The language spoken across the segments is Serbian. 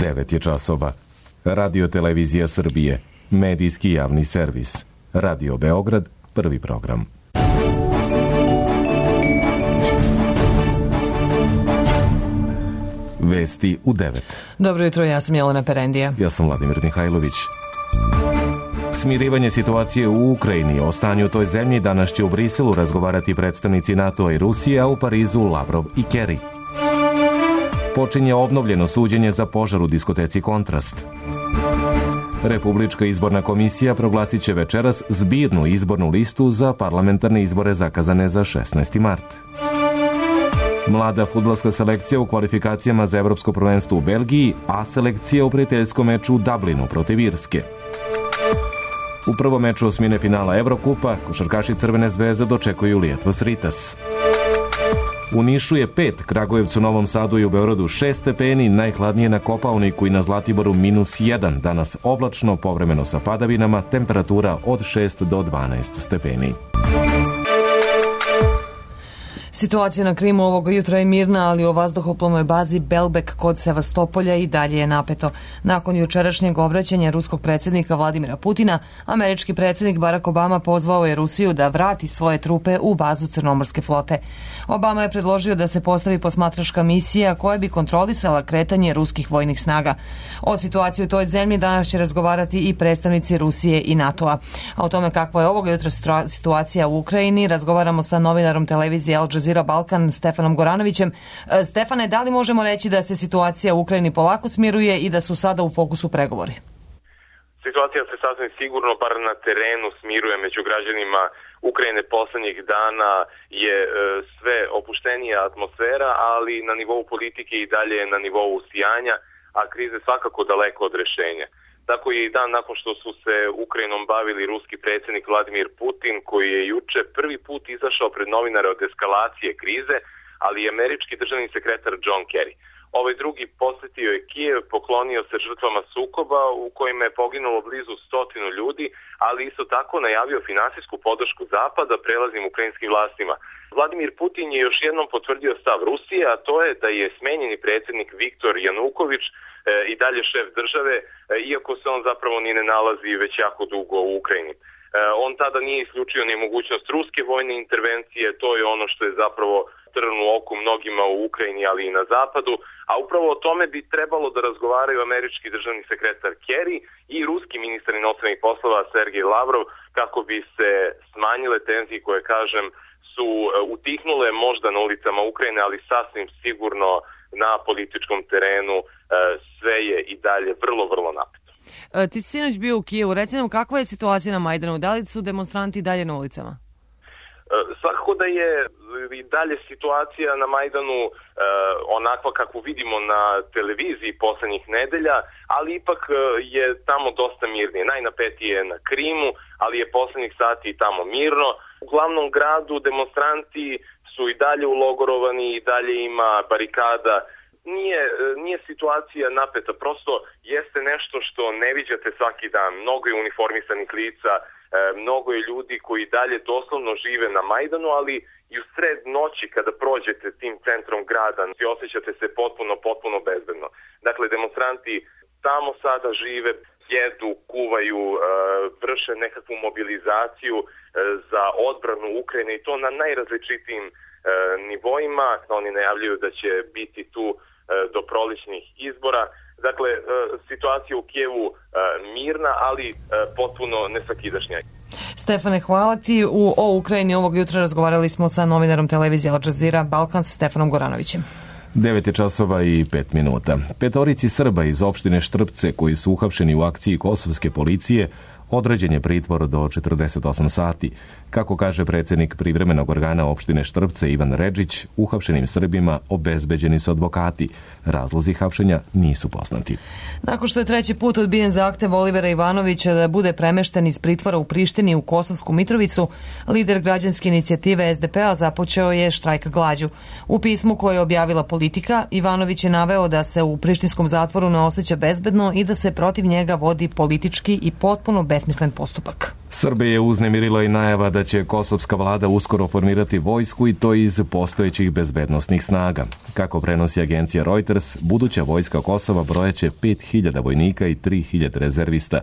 9 je časova. Radio Televizija Srbije, medijski javni servis. Radio Beograd, prvi program. Vesti u 9. Dobro jutro, ja sam Jelena Perendija. Ja sam Vladimir Mihajlović. Smirivanje situacije u Ukrajini, o stanju u toj zemlji danas će u Briselu razgovarati predstavnici NATO-a i Rusije, a u Parizu Lavrov i Kerry. Počinje obnovljeno suđenje za požar u diskoteci Kontrast. Republička izborna komisija proglasit će večeras zbirnu izbornu listu za parlamentarne izbore zakazane za 16. mart. Mlada fudbalska selekcija u kvalifikacijama za evropsko prvenstvo u Belgiji, a selekcija u prijateljskom meču u Dublinu protiv Irske. U prvom meču osmine finala Evrokupa, košarkaši Crvene zvezde dočekuju Lietuvos Rytas. U Nišu je 5, Kragujevcu, Novom Sadu i u Beogradu 6 stepeni, najhladnije na Kopaoniku i na Zlatiboru -1, danas oblačno, povremeno sa padavinama, temperatura od 6 do 12 stepeni. Situacija na Krimu ovoga jutra je mirna, ali u vazduhoplovnoj bazi Belbek kod Sevastopolja i dalje je napeto. Nakon jučerašnjeg obraćanja ruskog predsjednika Vladimira Putina, američki predsjednik Barack Obama pozvao je Rusiju da vrati svoje trupe u bazu Crnomorske flote. Obama je predložio da se postavi posmatračka misija koja bi kontrolisala kretanje ruskih vojnih snaga. O situaciji u toj zemlji danas će razgovarati i predstavnici Rusije i NATO-a. A o tome kakva je ovoga jutra situacija u Ukrajini razgovaramo sa novinarom televizije Al Jazeera Balkan Stefanom Goranovićem. Stefane, da li možemo reći da se situacija u Ukrajini polako smiruje i da su sada u fokusu pregovori? Situacija se sasvim sigurno, bar na terenu, smiruje među građanima Ukrajine. Poslednjih dana je sve opuštenija atmosfera, ali na nivou politike i dalje na nivou usijanja, a krize svakako daleko od rešenja. Tako je i dan nakon što su se Ukrajinom bavili ruski predsjednik Vladimir Putin, koji je juče prvi put izašao pred novinare od eskalacije krize, ali i američki državni sekretar John Kerry. Ovaj drugi posjetio je Kijev, poklonio se žrtvama sukoba u kojima je poginulo blizu 100 ljudi, ali isto tako najavio finansijsku podršku Zapada prelaznim ukrajinskim vlastima. Vladimir Putin je još jednom potvrdio stav Rusije, a to je da je smenjeni predsjednik Viktor Januković i dalje šef države, iako se on zapravo ni ne nalazi već jako dugo u Ukrajini. On tada nije isključio ni mogućnost ruske vojne intervencije, to je ono što je zapravo trn u oku mnogima u Ukrajini, ali i na zapadu, a upravo o tome bi trebalo da razgovaraju američki državni sekretar Kerry i ruski ministar inostranih poslova Sergej Lavrov, kako bi se smanjile tenzije koje, kažem, su utihnule možda na ulicama Ukrajine, ali sasvim sigurno na političkom terenu sve je i dalje vrlo, vrlo napeto. Ti si sinoć bio u Kijevu, reci nam kakva je situacija na Majdanu, da li su demonstranti dalje na ulicama? Svakako da je i dalje situacija na Majdanu onakva kakvu vidimo na televiziji poslednjih nedelja, ali ipak je tamo dosta mirnije. Najnapetije je na Krimu, ali je poslednjih sati i tamo mirno. U glavnom gradu demonstranti su i dalje ulogorovani, i dalje ima barikada. Nije situacija napeta, prosto jeste nešto što ne viđate svaki dan. Mnogo je uniformisanih lica, mnogo je ljudi koji dalje doslovno žive na Majdanu, ali i u sred noći kada prođete tim centrom grada osjećate se potpuno bezbedno. Dakle, demonstranti tamo sada žive, jedu, kuvaju, vrše nekakvu mobilizaciju za odbranu Ukrajine i to na najrazličitijim nivoima. Oni najavljuju da će biti tu do prolećnih izbora. Dakle, situacija u Kijevu mirna, ali potpuno nesvakidašnja. Stefane, hvala ti. O Ukrajini ovog jutra razgovarali smo sa novinarom televizije Al Jazeera Balkan sa Stefanom Goranovićem. 9 je časova i 5 minuta. 5 Srba iz opštine Štrpce koji su uhapšeni u akciji kosovske policije određen je pritvor do 48 sati. Kako kaže predsjednik privremenog organa opštine Štrpce Ivan Redžić, uhapšenim Srbima obezbeđeni su advokati. Razlozi hapšenja nisu poznati. Nakon što je treći put odbijen zahtev Olivera Ivanovića da bude premešten iz pritvora u Prištini u Kosovsku Mitrovicu, lider građanske inicijative SDP-a započeo je štrajk glađu. U pismu koje je objavila Politika, Ivanović je naveo da se u prištinskom zatvoru ne osjeća bezbedno i da se protiv njega vodi politički i potpuno besmislen besmislen postupak. Srbije je uznemirila i najava da će kosovska vlada uskoro formirati vojsku i to iz postojećih bezbednosnih snaga. Kako prenosi agencija Reuters, buduća vojska Kosova brojaće 5.000 vojnika i 3.000 rezervista.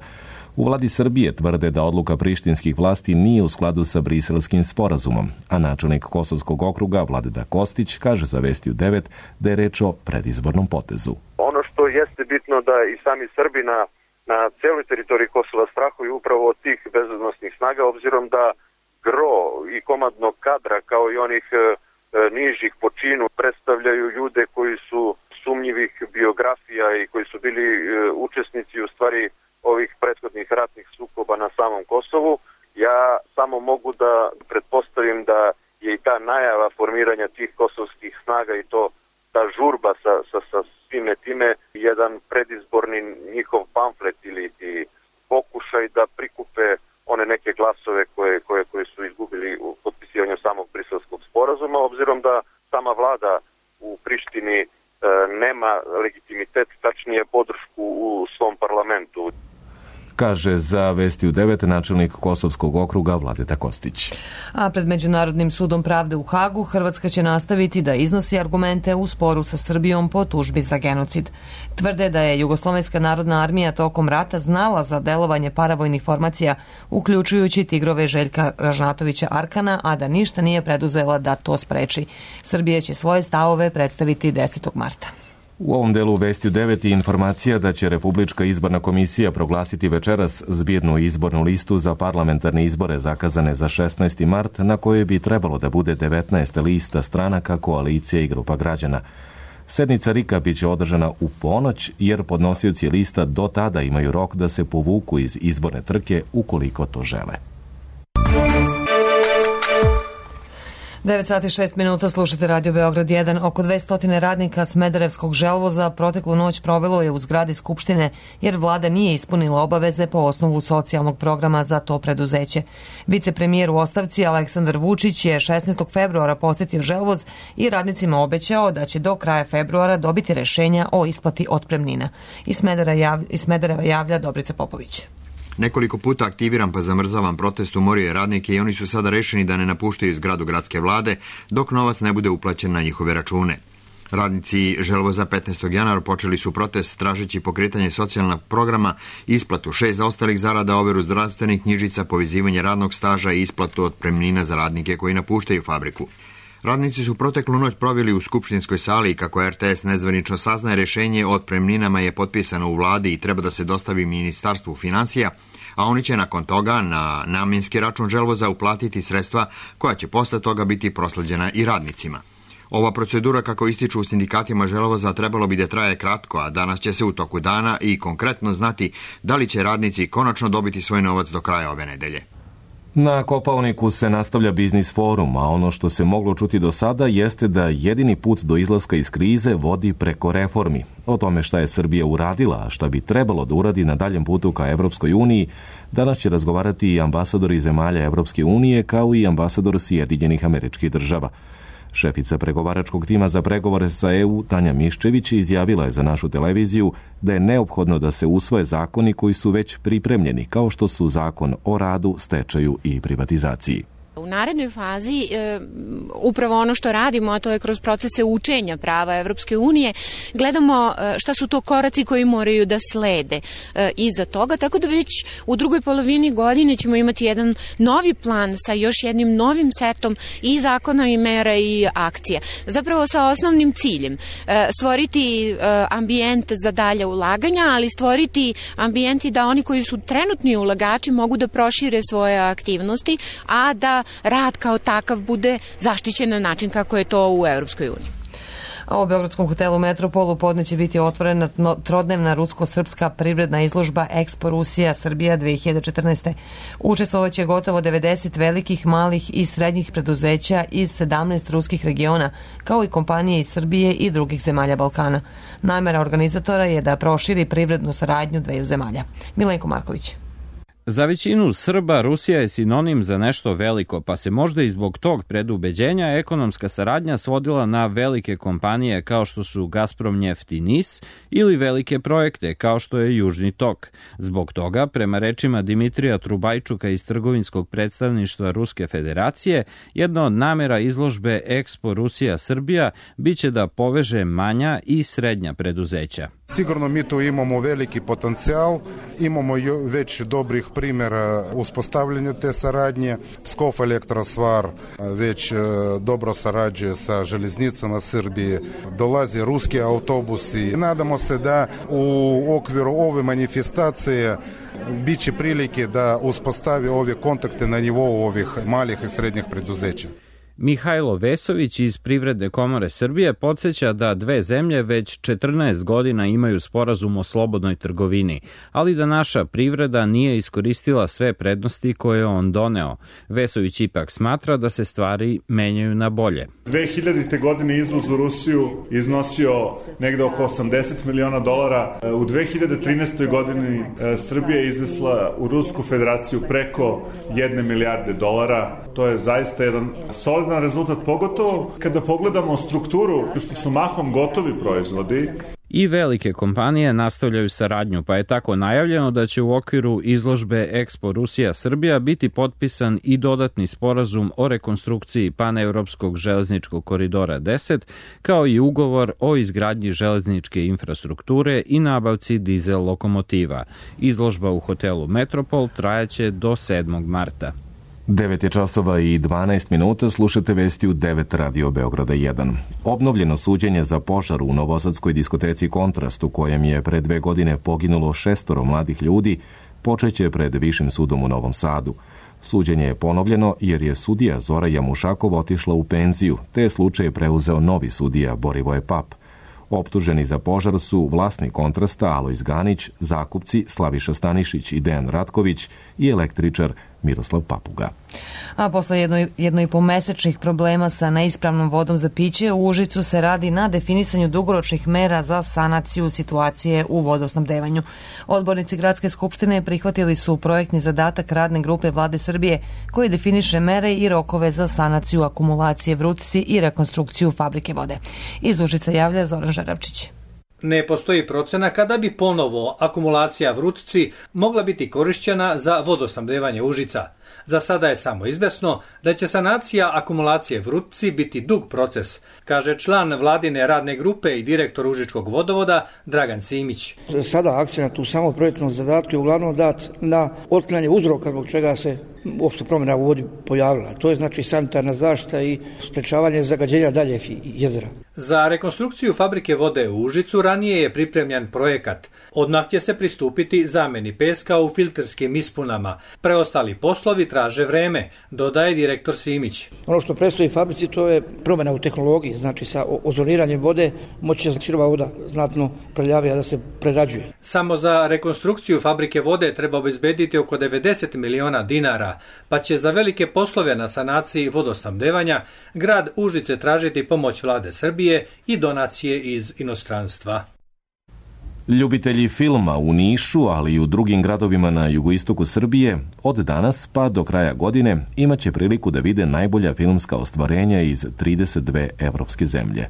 U vladi Srbije tvrde da odluka prištinskih vlasti nije u skladu sa Briselskim sporazumom, a načelnik Kosovskog okruga Vladeta Kostić kaže za Vesti u 9 da je reč o predizbornom potezu. Ono što jeste bitno da i sami Srbi na celoj teritoriji Kosova strahuju upravo od tih bezbednosnih snaga, obzirom da gro i komandnog kadra kao i onih nižih po činu predstavljaju ljude koji su sumnjivih biografija i koji su bili učesnici u stvari ovih prethodnih ratnih sukoba na samom Kosovu. Ja samo mogu da pretpostavim da je i ta najava formiranja tih kosovskih snaga i to ta žurba sa svime time jedan predizborni njihov pamflet ili pokušaj da prikupe one neke glasove koje su izgubili u potpisivanju samog Briselskog sporazuma, obzirom da sama vlada u Prištini nema legitimitet, tačnije podršku u svom parlamentu. Kaže za Vesti u 9 načelnik Kosovskog okruga Vladeta Kostić. A pred Međunarodnim sudom pravde u Hagu Hrvatska će nastaviti da iznosi argumente u sporu sa Srbijom po tužbi za genocid. Tvrde da je Jugoslovenska narodna armija tokom rata znala za delovanje paravojnih formacija, uključujući tigrove Željka Ražnatovića Arkana, a da ništa nije preduzela da to spreči. Srbija će svoje stavove predstaviti 10. marta. U ovom delu Vesti u 9 je informacija da će Republička izborna komisija proglasiti večeras zbirnu izbornu listu za parlamentarne izbore zakazane za 16. mart, na kojoj bi trebalo da bude 19 lista stranaka, koalicije i grupa građana. Sednica RIK-a biće održana u ponoć, jer podnosioci lista do tada imaju rok da se povuku iz izborne trke ukoliko to žele. 9 sati 6 minuta, slušate Radio Beograd 1. Oko 200 radnika Smederevskog želvoza proteklu noć provelo je u zgradi Skupštine jer vlada nije ispunila obaveze po osnovu socijalnog programa za to preduzeće. Vicepremijer u ostavci Aleksandar Vučić je 16. februara posjetio želvoz i radnicima obećao da će do kraja februara dobiti rešenja o isplati otpremnina. Iz Smedereva javlja Dobrica Popović. Nekoliko puta aktiviran pa zamrzavan protest umorio je radnike i oni su sada rešeni da ne napuštaju zgradu gradske vlade dok novac ne bude uplaćen na njihove račune. Radnici želvoza 15. januara počeli su protest tražeći pokretanje socijalnog programa, isplatu 6 zaostalih zarada, overu zdravstvenih knjižica, povezivanje radnog staža i isplatu otpremnina za radnike koji napuštaju fabriku. Radnici su proteklu noć proveli u skupštinskoj sali i kako RTS nezvanično saznaje, rešenje o otpremninama je potpisano u vladi i treba da se dostavi Ministarstvu finansija, a oni će nakon toga na namjenski račun želvoza uplatiti sredstva koja će posle toga biti prosleđena i radnicima. Ova procedura, kako ističu u sindikatima želvoza, trebalo bi da traje kratko, a danas će se u toku dana i konkretno znati da li će radnici konačno dobiti svoj novac do kraja ove nedelje. Na Kopaoniku se nastavlja biznis forum, a ono što se moglo čuti do sada jeste da jedini put do izlaska iz krize vodi preko reformi. O tome šta je Srbija uradila, a šta bi trebalo da uradi na daljem putu ka Evropskoj uniji, danas će razgovarati i ambasadori zemalja Evropske unije kao i ambasador Sjedinjenih Američkih Država. Šefica pregovaračkog tima za pregovore sa EU, Tanja Miščević, izjavila je za našu televiziju da je neophodno da se usvoje zakoni koji su već pripremljeni, kao što su Zakon o radu, stečaju i privatizaciji. U narednoj fazi upravo ono što radimo, a to je kroz procese učenja prava Evropske unije, gledamo šta su to koraci koji moraju da slede iza toga, tako da već u drugoj polovini godine ćemo imati jedan novi plan sa još jednim novim setom i zakona i mera i akcija. Zapravo sa osnovnim ciljem stvoriti ambijent za dalje ulaganja, ali stvoriti ambijenti da oni koji su trenutni ulagači mogu da prošire svoje aktivnosti, a da rad kao takav bude zaštićen na način kako je to u Evropskoj uniji. A u Beogradskom hotelu Metropolu podne će biti otvorena trodnevna rusko-srpska privredna izložba Expo Rusija Srbija 2014. Učestvovaće gotovo 90 velikih, malih i srednjih preduzeća iz 17 ruskih regiona, kao i kompanije iz Srbije i drugih zemalja Balkana. Namera organizatora je da proširi privrednu saradnju dveju zemalja. Milenko Marković. Za većinu Srba Rusija je sinonim za nešto veliko, pa se možda i zbog tog predubeđenja ekonomska saradnja svodila na velike kompanije kao što su Gazpromneft i NIS ili velike projekte kao što je Južni tok. Zbog toga, prema rečima Dimitrija Trubajčuka iz trgovinskog predstavništva Ruske federacije, jedna od namera izložbe Expo Rusija-Srbija biće da poveže manja i srednja preduzeća. Sigurno mi tu imamo veliki potencijal, imamo već dobrih primjera uspostavljanja te saradnje. Pskov Elektrosvar već dobro sarađuje sa železnicama Srbije, dolaze ruski autobusi. Nadamo se da u okviru ove manifestacije biće prilike da uspostavi ove kontakte na nivou ovih malih i srednjih preduzeća. Mihajlo Vesović iz Privredne komore Srbije podsjeća da dve zemlje već 14 godina imaju sporazum o slobodnoj trgovini, ali da naša privreda nije iskoristila sve prednosti koje je on doneo. Vesović ipak smatra da se stvari menjaju na bolje. 2000. godine izvoz u Rusiju iznosio negde oko $80 miliona. U 2013. godini Srbija je izvezla u Rusku federaciju preko $1 milijarde. To je zaista jedan solidan rezultat, pogotovo kada pogledamo strukturu, što su mahom gotovi proizvodi. I velike kompanije nastavljaju saradnju, pa je tako najavljeno da će u okviru izložbe Expo Rusija-Srbija biti potpisan i dodatni sporazum o rekonstrukciji paneuropskog železničkog koridora 10, kao i ugovor o izgradnji železničke infrastrukture i nabavci dizel lokomotiva. Izložba u hotelu Metropol trajaće do 7. marta. 9 je časova i 12 minuta, slušate vesti u 9 Radio Beograda 1. Obnovljeno suđenje za požar u novosadskoj diskoteci Kontrast, u kojem je pre 2 godine poginulo 6 mladih ljudi, počeće pred Višim sudom u Novom Sadu. Suđenje je ponovljeno jer je sudija Zora Jamušakov otišla u penziju, te je slučaj preuzeo novi sudija Borivoje Pap. Optuženi za požar su vlasnik Kontrasta Alojz Ganić, zakupci Slaviša Stanišić i Dejan Ratković i električar Miroslav Papuga. A posle jedno i po mesečnih problema sa neispravnom vodom za piće, u Užicu se radi na definisanju dugoročnih mera za sanaciju situacije u vodosnabdevanju. Odbornici Gradske skupštine prihvatili su projektni zadatak radne grupe Vlade Srbije koji definiše mere i rokove za sanaciju akumulacije Vrutci i rekonstrukciju fabrike vode. Iz Užica javlja Zoran Žaravčić. Ne postoji procena kada bi ponovo akumulacija Vrutci mogla biti korišćena za vodosnabdevanje Užica. Za sada je samo izvesno da će sanacija akumulacije Vrutci biti dug proces, kaže član vladine radne grupe i direktor Užičkog vodovoda Dragan Simić. Sada akcenat u samo projektnom zadatku je uglavnom dat na otklanjanje uzroka zbog čega se uopšte promjena u vodi pojavila. To je znači sanitarna zaštita i sprečavanje zagađenja daljeg jezera. Za rekonstrukciju fabrike vode u Užicu ranije je pripremljen projekat. Odmah će se pristupiti zameni peska u filterskim ispunama. Preostali poslovi traže vreme, dodaje direktor Simić. Ono što predstoji fabrici to je promjena u tehnologiji, znači sa ozoniranjem vode moći će sirova voda znatno prljavija da se prerađuje. Samo za rekonstrukciju fabrike vode treba obezbediti oko 90 miliona dinara, pa će za velike poslove na sanaciji vodosnabdevanja grad Užice tražiti pomoć Vlade Srbije i donacije iz inostranstva. Ljubitelji filma u Nišu, ali i u drugim gradovima na jugoistoku Srbije, od danas pa do kraja godine imaće priliku da vide najbolja filmska ostvarenja iz 32 evropske zemlje.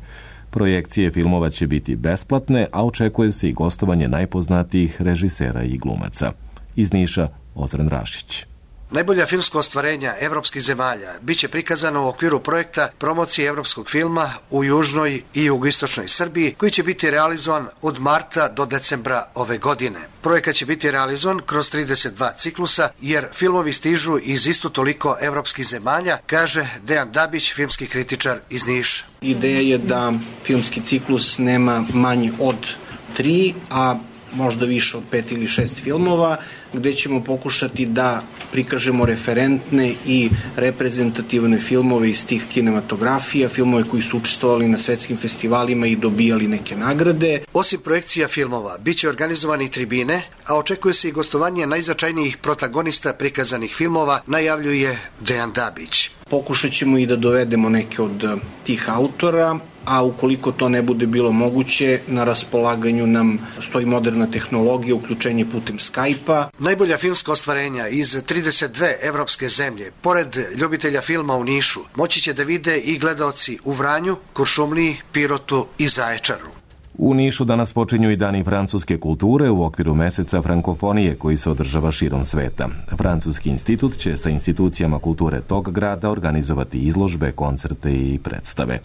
Projekcije filmova će biti besplatne, a očekuje se i gostovanje najpoznatijih režisera i glumaca. Iz Niša, Ozren Rašić. Najbolja filmska ostvarenja evropskih zemalja biće prikazano u okviru projekta promocije evropskog filma u južnoj i jugoistočnoj Srbiji, koji će biti realizovan od marta do decembra ove godine. Projekat će biti realizovan kroz 32 ciklusa, jer filmovi stižu iz isto toliko evropskih zemalja, kaže Dejan Dabić, filmski kritičar iz Niša. Ideja je da filmski ciklus nema manji od 3, a možda više od 5 ili 6 filmova, gde ćemo pokušati da prikažemo referentne i reprezentativne filmove iz tih kinematografija, filmove koji su učestvovali na svetskim festivalima i dobijali neke nagrade. Osim projekcija filmova, biće organizovani i tribine, a očekuje se i gostovanje najznačajnijih protagonista prikazanih filmova, najavljuje Dejan Dabić. Pokušat ćemo i da dovedemo neke od tih autora, a ukoliko to ne bude bilo moguće, na raspolaganju nam stoji moderna tehnologija, uključenje putem Skype-a. Najbolja filmska ostvarenja iz 32 evropske zemlje, pored ljubitelja filma u Nišu, moći će da vide i gledaoci u Vranju, Kuršumliji, Pirotu i Zaječaru. U Nišu danas počinju i dani francuske kulture u okviru meseca frankofonije koji se održava širom sveta. Francuski institut će sa institucijama kulture tog grada organizovati izložbe, koncerte i predstave.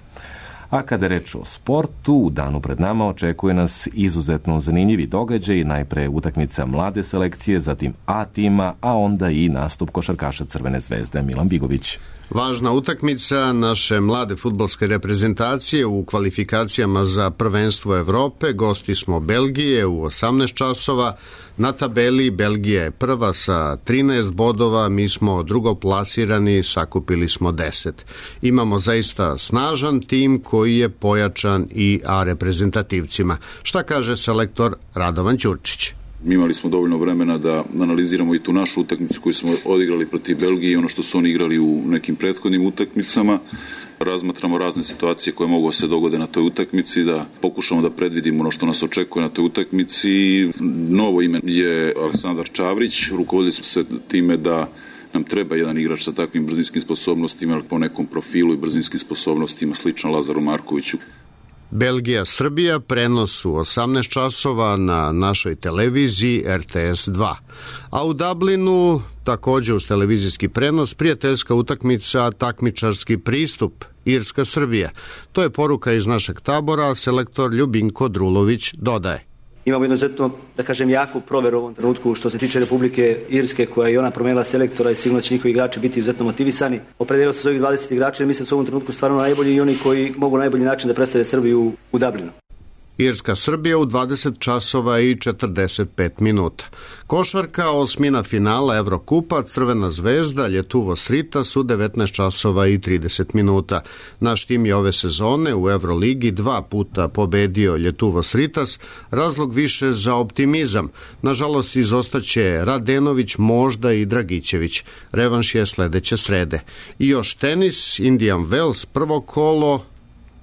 A kada je reč o sportu, u danu pred nama očekuje nas izuzetno zanimljivi događaj, najpre utakmica mlade selekcije, zatim A tima, a onda i nastup košarkaša Crvene zvezde Milan Bigović. Važna utakmica naše mlade fudbalske reprezentacije u kvalifikacijama za prvenstvo Evrope. Gosti smo Belgije u 18 časova. Na tabeli Belgija je prva sa 13 bodova, mi smo drugoplasirani, sakupili smo 10. Imamo zaista snažan tim koji je pojačan i A reprezentativcima. Šta kaže selektor Radovan Ćurčić? Imali smo dovoljno vremena da analiziramo i tu našu utakmicu koju smo odigrali protiv Belgije i ono što su oni igrali u nekim prethodnim utakmicama. Razmatramo razne situacije koje mogu se dogode na toj utakmici, da pokušamo da predvidimo ono što nas očekuje na toj utakmici. Novo ime je Aleksandar Čavrić. Rukovodili smo se time da nam treba jedan igrač sa takvim brzinskim sposobnostima, po nekom profilu i brzinskim sposobnostima sličan Lazaru Markoviću. Belgija-Srbija, prenos u 18 časova na našoj televiziji RTS 2. A u Dublinu, također uz televizijski prenos, prijateljska utakmica, takmičarski pristup, Irska-Srbija. To je poruka iz našeg tabora, selektor Ljubinko Drulović dodaje. Imamo izuzetno, da kažem, jaku proveru u ovom trenutku što se tiče Republike Irske, koja je ona promenila selektora i sigurno će njihovi igrači biti izuzetno motivisani. Opredelilo se s ovih 20 igrača jer mislim da su u ovom trenutku stvarno najbolji i oni koji mogu na najbolji način da predstave Srbiju u Dublinu. Irska-Srbija u 20 časova i 45 minuta. Košarka, osmina finala Evrokupa, Crvena zvezda, Ljetuvos Ritas u 19 časova i 30 minuta. Naš tim je ove sezone u Evroligi 2 puta pobedio Ljetuvos Ritas, razlog više za optimizam. Nažalost, izostaće Radenović, možda i Dragićević. Revanš je sledeće srede. I još tenis, Indian Wells, prvo kolo,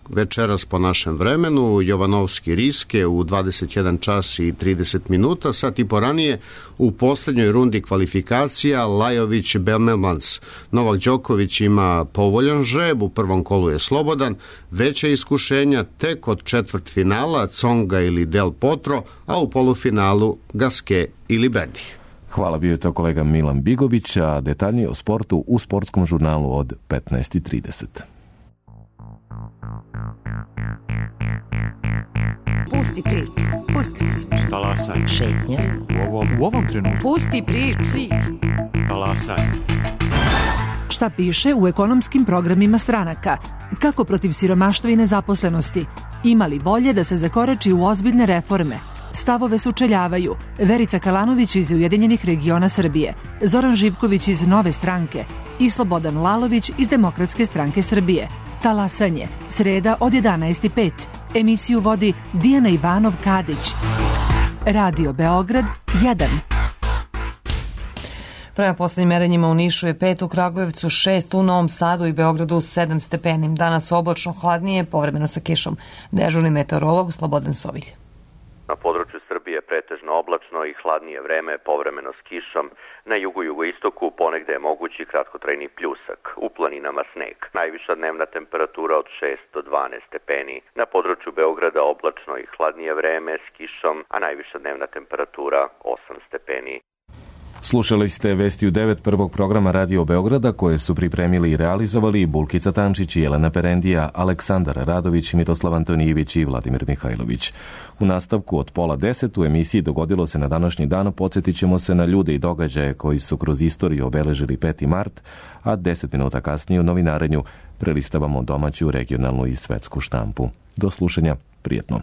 večeras po našem vremenu, Jovanovski Riske u 21 čas i 30 minuta, sat i po ranije u posljednjoj rundi kvalifikacija Lajović Belmemans. Novak Đoković ima povoljan žreb, u prvom kolu je slobodan, veća iskušenja tek od četvrtfinala Tsonga ili Del Potro, a u polufinalu Gasquet ili Berdih. Hvala, bio je to kolega Milan Bigović, a detaljnije o sportu u sportskom žurnalu od 15:30. Pusti priču. Pusti priču. Talasaj. Šetnja. U ovom trenutku. Pusti priču. Talasaj. Šta piše u ekonomskim programima stranaka? Kako protiv siromaštva i nezaposlenosti? Ima li volje da se zakorači u ozbiljne reforme? Stavove sučeljavaju Verica Kalanović iz Ujedinjenih regiona Srbije, Zoran Živković iz Nove stranke i Slobodan Lalović iz Demokratske stranke Srbije. Talasanje, sreda od 11:05. Emisiju vodi Dijana Ivanov-Kadić. Radio Beograd 1. Prema poslednjim merenjima u Nišu je 5, u Kragujevcu 6, u Novom Sadu i Beogradu 7 stepeni. Danas oblačno hladnije, povremeno sa kišom. Dežurni meteorolog Slobodan Sovilj. Na području Srbije pretežno oblačno i hladnije vreme, povremeno s kišom. Na jugu i jugoistoku ponegde je mogući kratkotrajni pljusak. U planinama sneg. Najviša dnevna temperatura od 6 do 12 stepeni. Na području Beograda oblačno i hladnije vreme s kišom, a najviša dnevna temperatura 8 stepeni. Slušali ste vesti u 9 prvog programa Radio Beograda koje su pripremili i realizovali Bulkica Tančić i Jelena Perendija, Aleksandar Radović, Miroslav Antonijević i Vladimir Mihajlović. U nastavku od 9:30 u emisiji Dogodilo se na današnji dan podsjetit ćemo se na ljude i događaje koji su kroz istoriju obeležili 5. mart, a 10 minuta kasnije u novinarenju prelistavamo domaću, regionalnu i svetsku štampu. Do slušanja, prijetno.